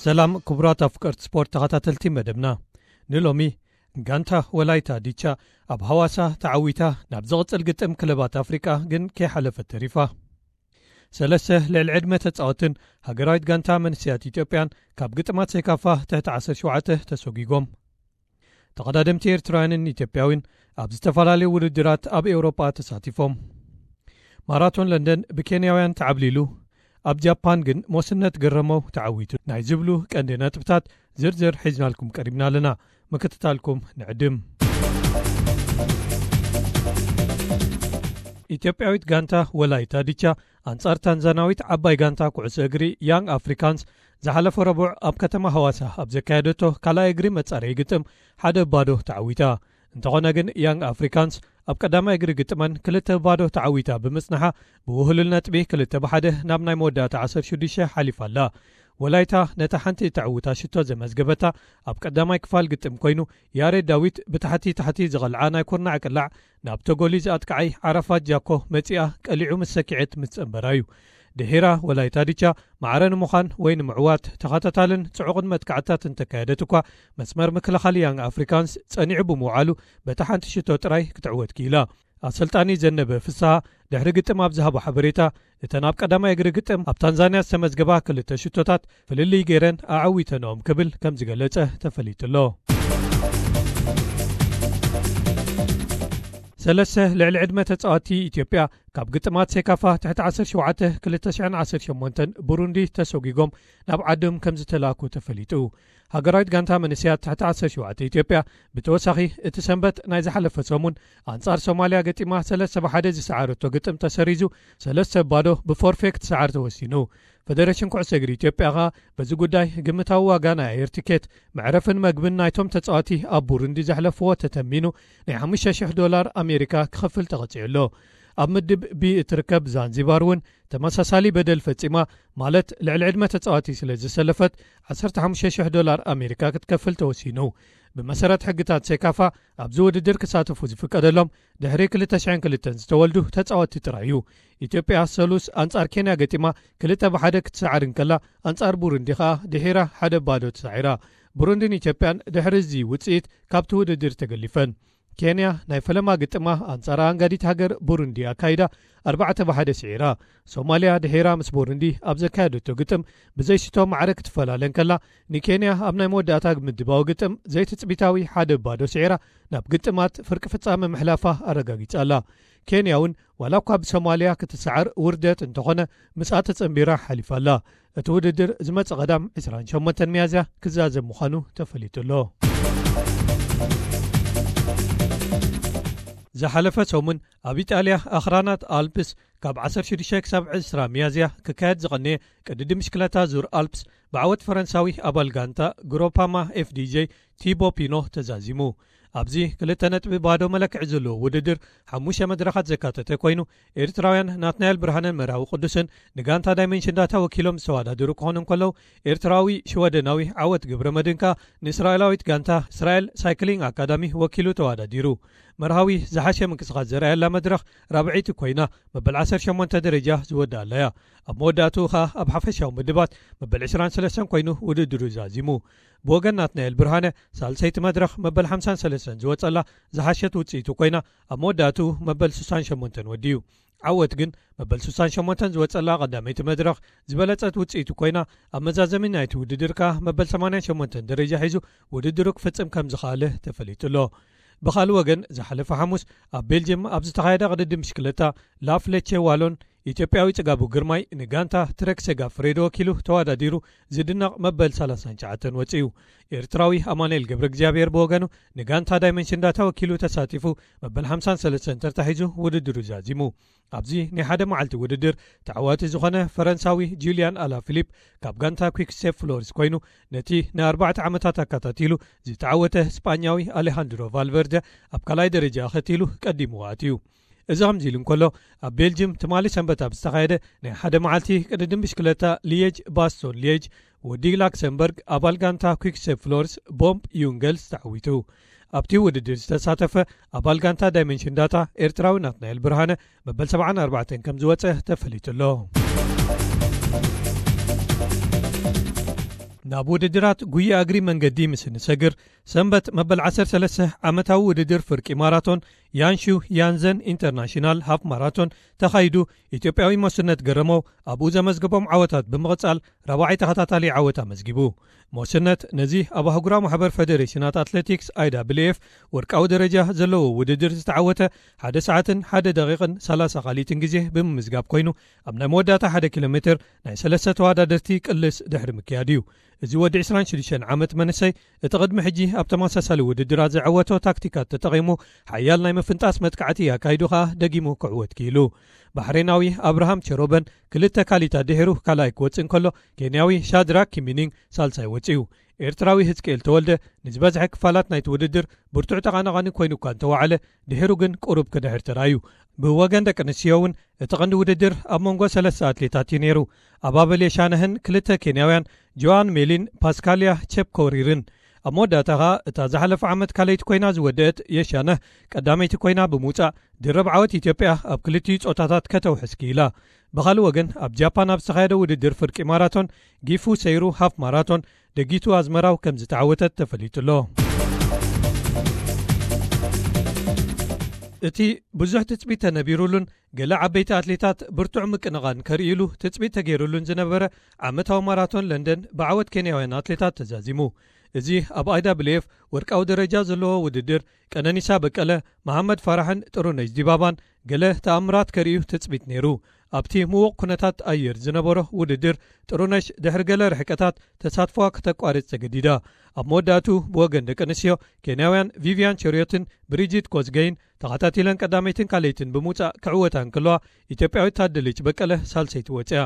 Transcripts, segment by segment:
ሰላም ክቡራት ኣፍቀርቲ ስፖርት ተኸታተልቲ መደብና። ንሎሚ ጋንታ ወላይታ ዲቻ ኣብ ሃዋሳ ተዓዊታ ናብ ዝቕጽል ግጥም ክለባት ኣፍሪቃ ግን ከይሓለፈት ተሪፋ። ሰለስተ ልዕሊ ዕድመ ተጻወትን ሃገራዊት ጋንታ መንስያት ኢትዮጵያን ካብ ግጥማት ሴካፋ ትሕቲ ዓሰርተ ሸውዓተ ተሰጒጎም። ተቐዳደምቲ ኤርትራውያንን ኢትዮጵያዊን ኣብ ዝተፈላለዩ ውድድራት ኣብ ኤውሮጳ ተሳቲፎም። ማራቶን ለንደን ብኬንያውያን ተዓብሊሉ፣ ኣብ ጃፓን ግን ሞስነት ገረመው ተዓዊቱ ናይ ዝብሉ ቀንዲ ነጥብታት ዝርዝር ሒዝናልኩም ቀሪብና ኣለና። ምክትታልኩም ንዕድም። ኢትዮጵያዊት ጋንታ ወላይታ ዲቻ ኣንጻር ታንዛናዊት ዓባይ ጋንታ ኩዕሶ እግሪ ያንግ ኣፍሪካንስ ዝሓለፈ ረቡዕ ኣብ ከተማ ሃዋሳ ኣብ ዘካየደቶ ካልኣይ እግሪ መጻረዪ ግጥም ሓደ ባዶ ተዓዊታ። እንተኾነ ግን ያንግ ኣፍሪካንስ ኣብ ቀዳማይ እግሪ ግጥመን ክልተ ባዶ ተዓዊታ ብምጽንሓ ብውህሉል ነጥቢ ክልተ ብሓደ ናብ ናይ መወዳእታ ዓሰርተ ሽዱሽተ ሓሊፋ ኣላ። ወላይታ ነታ ሓንቲ ተዕውታ ሽቶ ዘመዝገበታ ኣብ ቀዳማይ ክፋል ግጥም ኮይኑ፣ ያሬድ ዳዊት ብታሕቲ ታሕቲ ዝቐልዓ ናይ ኩርናዕ ቅላዕ ናብ ተጎሊ ዝኣጥቃዓይ ዓራፋት ጃኮ መጺኣ ቀሊዑ ምስ ሰኪዐት ምስ ጸንበራ እዩ። ድሒራ ወላይታ ዲቻ ማዕረ ንምዃን ወይ ንምዕዋት ተኸታታልን ጽዑቕን መጥቃዕትታት እንተካየደት እኳ፣ መስመር ምክልኻል ያንግ ኣፍሪካንስ ጸኒዑ ብምውዓሉ በታ ሓንቲ ሽቶ ጥራይ ክትዕወት ክኢላ። ኣሰልጣኒ ዘነበ ፍስሃ ድሕሪ ግጥም ኣብ ዝሃቦ ሓበሬታ፣ እተን ኣብ ቀዳማይ እግሪ ግጥም ኣብ ታንዛንያ ዝተመዝገባ ክልተ ሽቶታት ፍልልይ ገይረን ኣዓዊተንኦም ክብል ከም ዝገለጸ ተፈሊጡ ኣሎ። ሰለስተ ልዕሊ ዕድመ ተጻወትቲ ኢትዮጵያ ካብ ግጥማት ሴካፋ ትሕቲ ዓሰርተ ሸውዓተ ክልተ ሽሕን ዓሰርተ ሸሞንተን ቡሩንዲ ተሰጒጎም ናብ ዓዶም ከም ዝተላኩ ተፈሊጡ። ሃገራዊት ጋንታ መንእሰያት ትሕቲ ዓሰርተ ሸውዓተ ኢትዮጵያ ብተወሳኺ እቲ ሰንበት ናይ ዝሓለፈ ሰሙን ኣንጻር ሶማልያ ገጢማ ሰለስተ ብሓደ ዝሰዓረቶ ግጥም ተሰሪዙ ሰለስተ ባዶ ብፎርፌ ክትሰዓር ተወሲኑ። ፈደሬሽን ኩዕሶ እግሪ ኢትዮጵያ ኸኣ በዚ ጉዳይ ግምታዊ ዋጋ ናይ ኣየር ቲኬት፣ መዕረፍን መግብን ናይቶም ተጻዋቲ ኣብ ቡሩንዲ ዘሕለፍዎ ተተሚኑ ናይ ሓሙሽተ ሽሕ ዶላር ኣሜሪካ ክኸፍል ተቐጺዑ ኣሎ። ኣብ ምድብ ቢ እትርከብ ዛንዚባር እውን ተመሳሳሊ በደል ፈጺማ፣ ማለት ልዕሊ ዕድመ ተጻዋቲ ስለ ዝሰለፈት ዓሰርተ ሓሙሽተ ሽሕ ዶላር ኣሜሪካ ክትከፍል ተወሲኑ። ብመሰረት ሕግታት ሴካፋ ኣብዚ ውድድር ክሳተፉ ዝፍቀደሎም ድሕሪ ክልተ ሽሕን ክልተን ዝተወልዱ ተጻወትቲ ጥራይ እዩ። ኢትዮጵያ ሰሉስ ኣንጻር ኬንያ ገጢማ ክልተ ብሓደ ክትሰዓር እንከላ፣ ኣንጻር ቡሩንዲ ኸኣ ድሒራ ሓደ ባዶ ተሳዒራ። ቡሩንዲን ኢትዮጵያን ድሕሪ እዚ ውጽኢት ካብቲ ውድድር ተገሊፈን። ኬንያ ናይ ፈለማ ግጥማ ኣንጻር ኣንጋዲት ሃገር ቡሩንዲ ኣካይዳ ኣርባዕተ ብሓደ ስዒራ። ሶማልያ ድሒራ ምስ ቡሩንዲ ኣብ ዘካየደቶ ግጥም ብዘይሽቶ ማዕረ ክትፈላለ እንከላ፣ ንኬንያ ኣብ ናይ መወዳእታ ምድባዊ ግጥም ዘይትጽቢታዊ ሓደ ባዶ ስዒራ ናብ ግጥማት ፍርቂ ፍጻመ ምሕላፋ ኣረጋጊጻ ኣላ። ኬንያ እውን ዋላ እኳ ብሶማልያ ክትሰዓር ውርደት እንተኾነ፣ ምስኣ ተጸንቢራ ሓሊፋ ኣላ። እቲ ውድድር ዝመጽእ ቀዳም ዕስራን ሸሞንተን ሚያዝያ ክዛዘም ምዃኑ ተፈሊጡ ኣሎ። ዝሓለፈ ሰሙን ኣብ ኢጣልያ ኣኽራናት ኣልፕስ ካብ ዓሰርተ ሽዱሽተ ክሳብ ዕስራ ሚያዝያ ክካየድ ዝቐነየ ቅድድም ብሽክለታ ዙር ኣልፕስ ብዓወት ፈረንሳዊ ኣባል ጋንታ ግሮፓማ ኤፍዲጄ ቲቦ ፒኖ ተዛዚሙ። ኣብዚ ክልተ ነጥቢ ባዶ መለክዒ ዘለዎ ውድድር ሓሙሽተ መድረኻት ዘካተተ ኮይኑ፣ ኤርትራውያን ናትናኤል ብርሃነን መርሃዊ ቅዱስን ንጋንታ ዳይመንሽን ዳታ ወኪሎም ዝተወዳደሩ ክኾኑ እንከለዉ፣ ኤርትራዊ ሽወደናዊ ዓወት ገብረመድህን ከኣ ንእስራኤላዊት ጋንታ እስራኤል ሳይክሊንግ ኣካዳሚ ወኪሉ ተወዳዲሩ። መርሃዊ ዝሓሸ ምንቅስቓስ ዘርኣየላ መድረኽ ራብዐይቲ ኮይና፣ መበል ዓሰርተ ሸሞንተ ደረጃ ዝወደኣላ እያ። ኣብ መወዳእትኡ ኸኣ ኣብ ሓፈሻዊ ምድባት መበል ዕስራን ሰለስተን ኮይኑ ውድድሩ ዛዚሙ። ብወገን ናትናኤል ብርሃነ፣ ሳልሰይቲ መድረኽ መበል ሓምሳን ሰለስተን ዝወጸላ ዝሓሸት ውጽኢቱ ኮይና፣ ኣብ መወዳእትኡ መበል ስሳን ሸሞንተን ወዲኡ። ዓወት ግን መበል ስሳን ሸሞንተን ዝወጸላ ቀዳመይቲ መድረኽ ዝበለጸት ውጽኢቱ ኮይና፣ ኣብ መዛዘሚ ናይቲ ውድድር ከኣ መበል ሰማንያን ሸሞንተን ደረጃ ሒዙ ውድድሩ ክፍጽም ከም ዝኸኣለ ተፈሊጡ ኣሎ። ብኻልእ ወገን፣ ዝሓለፈ ሓሙስ ኣብ ቤልጅየም ኣብ ዝተኻየደ ቅድድም ብሽክለታ ላፍ ሌቼ ዋሎን፣ ኢትዮጵያዊ ጽጋቡ ግርማይ ንጋንታ ትረክ ሴጋ ፍሬዶ ወኪሉ ተወዳዲሩ ዝድነቕ መበል ሰላሳን ትሽዓተን ወጺኡ። ኤርትራዊ ኣማኑኤል ገብረ እግዚኣብሔር ብወገኑ ንጋንታ ዳይመንሽን ዳታ ወኪሉ ተሳቲፉ መበል ሓምሳን ሰለስተን ተርታ ሒዙ ውድድሩ ዛዚሙ። ኣብዚ ናይ ሓደ መዓልቲ ውድድር ተዓዋቲ ዝኾነ ፈረንሳዊ ጁልያን ኣላ ፊሊፕ ካብ ጋንታ ኩክ ስቴፕ ፍሎርስ ኮይኑ፣ ነቲ ንኣርባዕተ ዓመታት ኣከታቲሉ ዝተዓወተ ስጳኛዊ ኣሌሃንድሮ ቫልቨርደ ኣብ ካልኣይ ደረጃ ኣኸቲሉ ቀዲምዎ ኣትዩ። እዚ ከምዚ ኢሉ እንከሎ፣ ኣብ ቤልጅም ትማሊ ሰንበት ኣብ ዝተኻየደ ናይ ሓደ መዓልቲ ቅድድም ብሽክለታ ሊየጅ ባስቶን ሊየጅ፣ ወዲ ላክሰምበርግ ኣባል ጋንታ ኩክ ስቴፕ ፍሎርስ ቦምፕ ዩንገልስ ተዓዊቱ። ኣብቲ ውድድር ዝተሳተፈ ኣባል ጋንታ ዳይመንሽን ዳታ ኤርትራዊ ናትናኤል ብርሃነ መበል ሰብዓን ኣርባዕተን ከም ዝወጸ ተፈሊጡ ኣሎ። ናብ ውድድራት ጉያ እግሪ መንገዲ ምስ እንሰግር፣ ሰንበት መበል ዓሰርተ ሰለስተ ዓመታዊ ውድድር ፍርቂ ማራቶን ያንሹ ያንዘን ኢንተርናሽናል ሃፍ ማራቶን ተኻይዱ፣ ኢትዮጵያዊ ሞስነት ገረመው ኣብኡ ዘመዝገቦም ዓወታት ብምቕጻል ራብዓይ ተኸታታሊ ዓወት ኣመዝጊቡ። ሞስነት ነዚ ኣብ ኣህጉራዊ ማሕበር ፌደሬሽናት ኣትሌቲክስ፣ ኣይ ዳብልዩ ኤፍ፣ ወርቃዊ ደረጃ ዘለዎ ውድድር ዝተዓወተ ሓደ ሰዓትን ሓደ ደቂቕን ሰላሳ ካልኢትን ግዜ ብምምዝጋብ ኮይኑ፣ ኣብ ናይ መወዳእታ ሓደ ኪሎ ሜትር ናይ ሰለስተ ተወዳደርቲ ቅልስ ድሕሪ ምክያድ እዩ። እዚ ወዲ ዕስራን ሽዱሽተን ዓመት መንእሰይ እቲ ቅድሚ ሕጂ ኣብ ተመሳሳሊ ውድድራት ዘዐወቶ ታክቲካት ተጠቒሙ ሓያል ናይ ምፍንጣስ መጥቃዕቲ ኣካይዱ ከኣ ደጊሙ ክዕወት ክኢሉ። ባሕሬናዊ ኣብርሃም ቸሮበን ክልተ ካልኢታት ድሒሩ ካልኣይ ክወጽእ እንከሎ፣ ኬንያዊ ሻድራክ ኪሚኒንግ ሳልሳይ ወጺኡ። ኤርትራዊ ህዝቅኤል ተወልደ ንዝበዝሐ ክፋላት ናይቲ ውድድር ብርቱዕ ተቓናቓኒ ኮይኑ እኳ እንተወዓለ፣ ድሒሩ ግን ቁሩብ ክድሕር ተራእዩ። ብወገን ደቂ ኣንስትዮ እውን እቲ ቀንዲ ውድድር ኣብ መንጎ ሰለስተ ኣትሌታት እዩ ነይሩ። ኣባበል የሻነህን ክልተ ኬንያውያን ጆዋን ሜሊን ፓስካልያ ቸፕኮሪርን። ኣብ መወዳእታ ኸኣ እታ ዝሓለፈ ዓመት ካልኣይቲ ኮይና ዝወደአት የሻነህ ቀዳመይቲ ኮይና ብምውጻእ ድርብ ዓወት ኢትዮጵያ ኣብ ክልቲኡ ጾታታት ከተውሕስ ክኢላ። ብኻልእ ወገን ኣብ ጃፓን ኣብ ዝተኻየደ ውድድር ፍርቂ ማራቶን ጊፉ ሰይሩ ሃፍ ማራቶን ደጊቱ ኣዝመራው ከም ዝተዓወተት ተፈሊጡ ኣሎ። እቲ ብዙሕ ትጽቢት ተነቢሩሉን ገለ ዓበይቲ ኣትሌታት ብርቱዕ ምቅንቓን ከርእይሉ ትጽቢት ተገይሩሉን ዝነበረ ዓመታዊ ማራቶን ለንደን ብዓወት ኬንያውያን ኣትሌታት ተዛዚሙ። እዚ ኣብ ኣይ ዳብልዩ ኤፍ ወርቃዊ ደረጃ ዘለዎ ውድድር ቀነኒሳ በቀለ፣ መሃመድ ፋራሕን ጥሩነሽ ዲባባን ገለ ተኣምራት ከርእዩ ትጽቢት ነይሩ። ኣብቲ ምዉቕ ኩነታት ኣየር ዝነበሮ ውድድር ጥሩነሽ ድሕሪ ገለ ርሕቀታት ተሳትፎኣ ክተቋርጽ ተገዲዳ። ኣብ መወዳእቱ ብወገን ደቂ ኣንስትዮ ኬንያውያን ቪቪያን ቸሪዮትን ብሪጂት ኮዝገይን ተኸታቲለን ቀዳመይትን ካልኣይትን ብምውጻእ ክዕወታ እንከለዋ፣ ኢትዮጵያዊት ታደለች በቀለ ሳልሰይቲ ወጺኣ።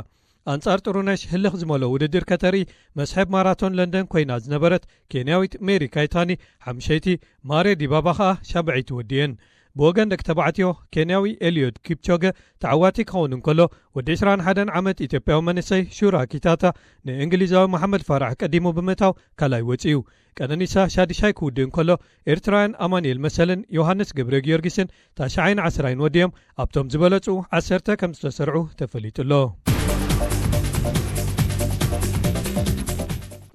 ኣንጻር ጥሩነሽ ህልኽ ዝመልኦ ውድድር ከተርኢ መስሕብ ማራቶን ለንደን ኮይና ዝነበረት ኬንያዊት ሜሪ ካይታኒ ሓምሸይቲ፣ ማሬ ዲባባ ኸኣ ሻብዐይቲ ወዲኤን። ብወገን ደቂ ተባዕትዮ ኬንያዊ ኤልዮድ ኪፕቾገ ተዓዋቲ ክኸውን እንከሎ፣ ወዲ ዕስራን ሓደን ዓመት ኢትዮጵያዊ መንእሰይ ሹራ ኪታታ ንእንግሊዛዊ መሓመድ ፋራሕ ቀዲሙ ብምእታው ካልኣይ ወጺኡ። ቀነኒሳ ሻድሻይ ክውድእ እንከሎ፣ ኤርትራውያን ኣማኑኤል መሰልን ዮሃንስ ገብረ ጊዮርጊስን ታሽዓይን ዓስራይን ወዲኦም ኣብቶም ዝበለጹ ዓሰርተ ከም ዝተሰርዑ ተፈሊጡ ኣሎ።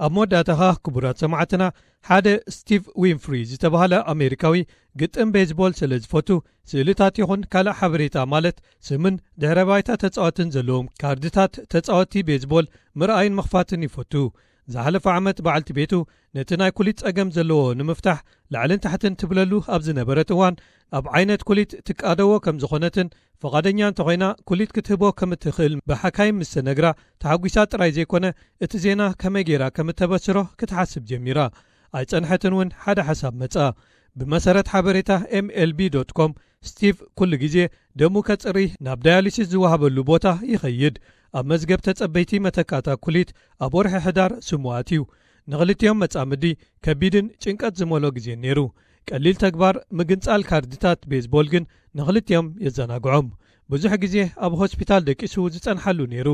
ኣብ መወዳእታ ኸኣ ክቡራት ሰማዕትና፣ ሓደ ስቲቭ ዊንፍሪ ዝተባህለ ኣሜሪካዊ ግጥም ቤዝቦል ስለ ዝፈቱ፣ ስእልታት ይኹን ካልእ ሓበሬታ ማለት ስምን ድሕረ ባይታ ተጻወትን ዘለዎም ካርድታት ተጻወቲ ቤዝቦል ምርኣይን ምኽፋትን ይፈቱ። ዝሓለፈ ዓመት በዓልቲ ቤቱ ነቲ ናይ ኩሊት ጸገም ዘለዎ ንምፍታሕ ላዕልን ታሕትን ትብለሉ ኣብ ዝነበረት እዋን፣ ኣብ ዓይነት ኩሊት ትቃደዎ ከም ዝኾነትን ፍቓደኛ እንተኾይና ኩሊት ክትህቦ ከም እትኽእል ብሓካይም ምስ ተነግራ ተሓጒሳ ጥራይ ዘይኮነ፣ እቲ ዜና ከመይ ገይራ ከም እተበስሮ ክትሓስብ ጀሚራ። ኣይጸንሐትን እውን ሓደ ሓሳብ መጻ። ብመሰረት ሓበሬታ ኤም ኤል ቢ ዶት ኮም፣ ስቲቭ ኩሉ ግዜ ደሙ ከጽሪ ናብ ዳያሊሲስ ዝወሃበሉ ቦታ ይኸይድ። ኣብ መዝገብ ተጸበይቲ መተካእታ ኩሊት ኣብ ወርሒ ሕዳር ስሙ ኣትዩ። ንኽልቲኦም መጻምዲ ከቢድን ጭንቀት ዝመልኦ ግዜ ነይሩ። ቀሊል ተግባር ምግንጻል ካርድታት ቤዝቦል ግን ንኽልቲኦም የዘናግዖም። ብዙሕ ግዜ ኣብ ሆስፒታል ደቂሱ ዝጸንሓሉ ነይሩ።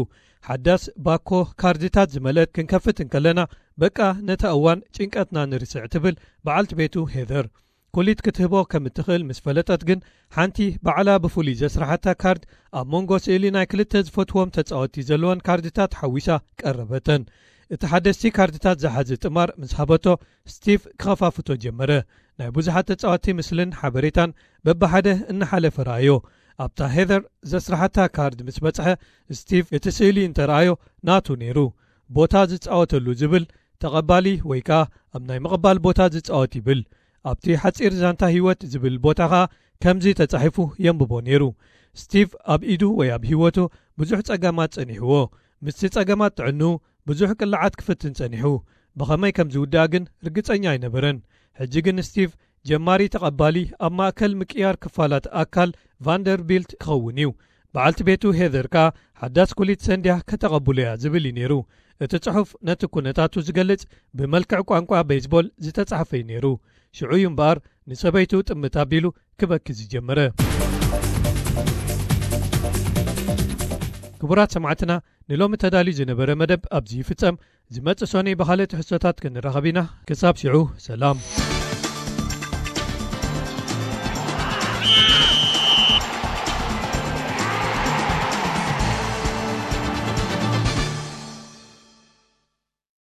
ሓዳስ ባኮ ካርድታት ዝመልአት ክንከፍት እንከለና፣ በቃ ነታ እዋን ጭንቀትና ንርስዕ ትብል በዓልቲ ቤቱ ሄዘር። ኩሊት ክትህቦ ከም እትኽእል ምስ ፈለጠት ግን፣ ሓንቲ ባዕላ ብፍሉይ ዘስራሓታ ካርድ ኣብ መንጎ ስእሊ ናይ ክልተ ዝፈትዎም ተጻወትቲ ዘለወን ካርድታት ሓዊሳ ቀረበተን። እቲ ሓደስቲ ካርድታት ዝሓዘ ጥማር ምስ ሃበቶ፣ ስቲቭ ክኸፋፍቶ ጀመረ። ናይ ብዙሓት ተጻወትቲ ምስልን ሓበሬታን በብሓደ እናሓለፈ ረኣዮ። ኣብታ ሄዘር ዘስራሓታ ካርድ ምስ በጽሐ፣ ስቲቭ እቲ ስእሊ እንተረኣዮ ናቱ ነይሩ። ቦታ ዝጻወተሉ ዝብል ተቐባሊ ወይ ከኣ ኣብ ናይ ምቕባል ቦታ ዝጻወት ይብል። ኣብቲ ሓጺር ዛንታ ህይወት ዝብል ቦታ ኸኣ ከምዚ ተጻሒፉ የንብቦ ነይሩ። ስቲቭ ኣብ ኢዱ ወይ ኣብ ህይወቱ ብዙሕ ጸገማት ጸኒሕዎ። ምስቲ ጸገማት ጥዕንኡ ብዙሕ ቅላዓት ክፍትን ጸኒሑ። ብኸመይ ከም ዝውድኣ ግን ርግጸኛ ኣይነበረን። ሕጂ ግን ስቲቭ ጀማሪ ተቐባሊ ኣብ ማእከል ምቅያር ክፋላት ኣካል ቫንደርቢልት ክኸውን እዩ። በዓልቲ ቤቱ ሄዘር ከኣ ሓዳስ ኩሊት ሰንድያ ከተቐብሎ እያ ዝብል እዩ ነይሩ። እቲ ጽሑፍ ነቲ ኩነታቱ ዝገልጽ ብመልክዕ ቋንቋ ቤዝቦል ዝተጻሕፈ እዩ ነይሩ። ሽዑ እዩ እምበኣር ንሰበይቱ ጥምት ኣቢሉ ክበኪ ዝጀመረ። ክቡራት ሰማዕትና፣ ንሎሚ ተዳልዩ ዝነበረ መደብ ኣብዚ ይፍጸም። ዝመጽእ ሰኑይ ብኻልእ ትሕዝቶታት ክንራኸብ ኢና። ክሳብ ሽዑ ሰላም።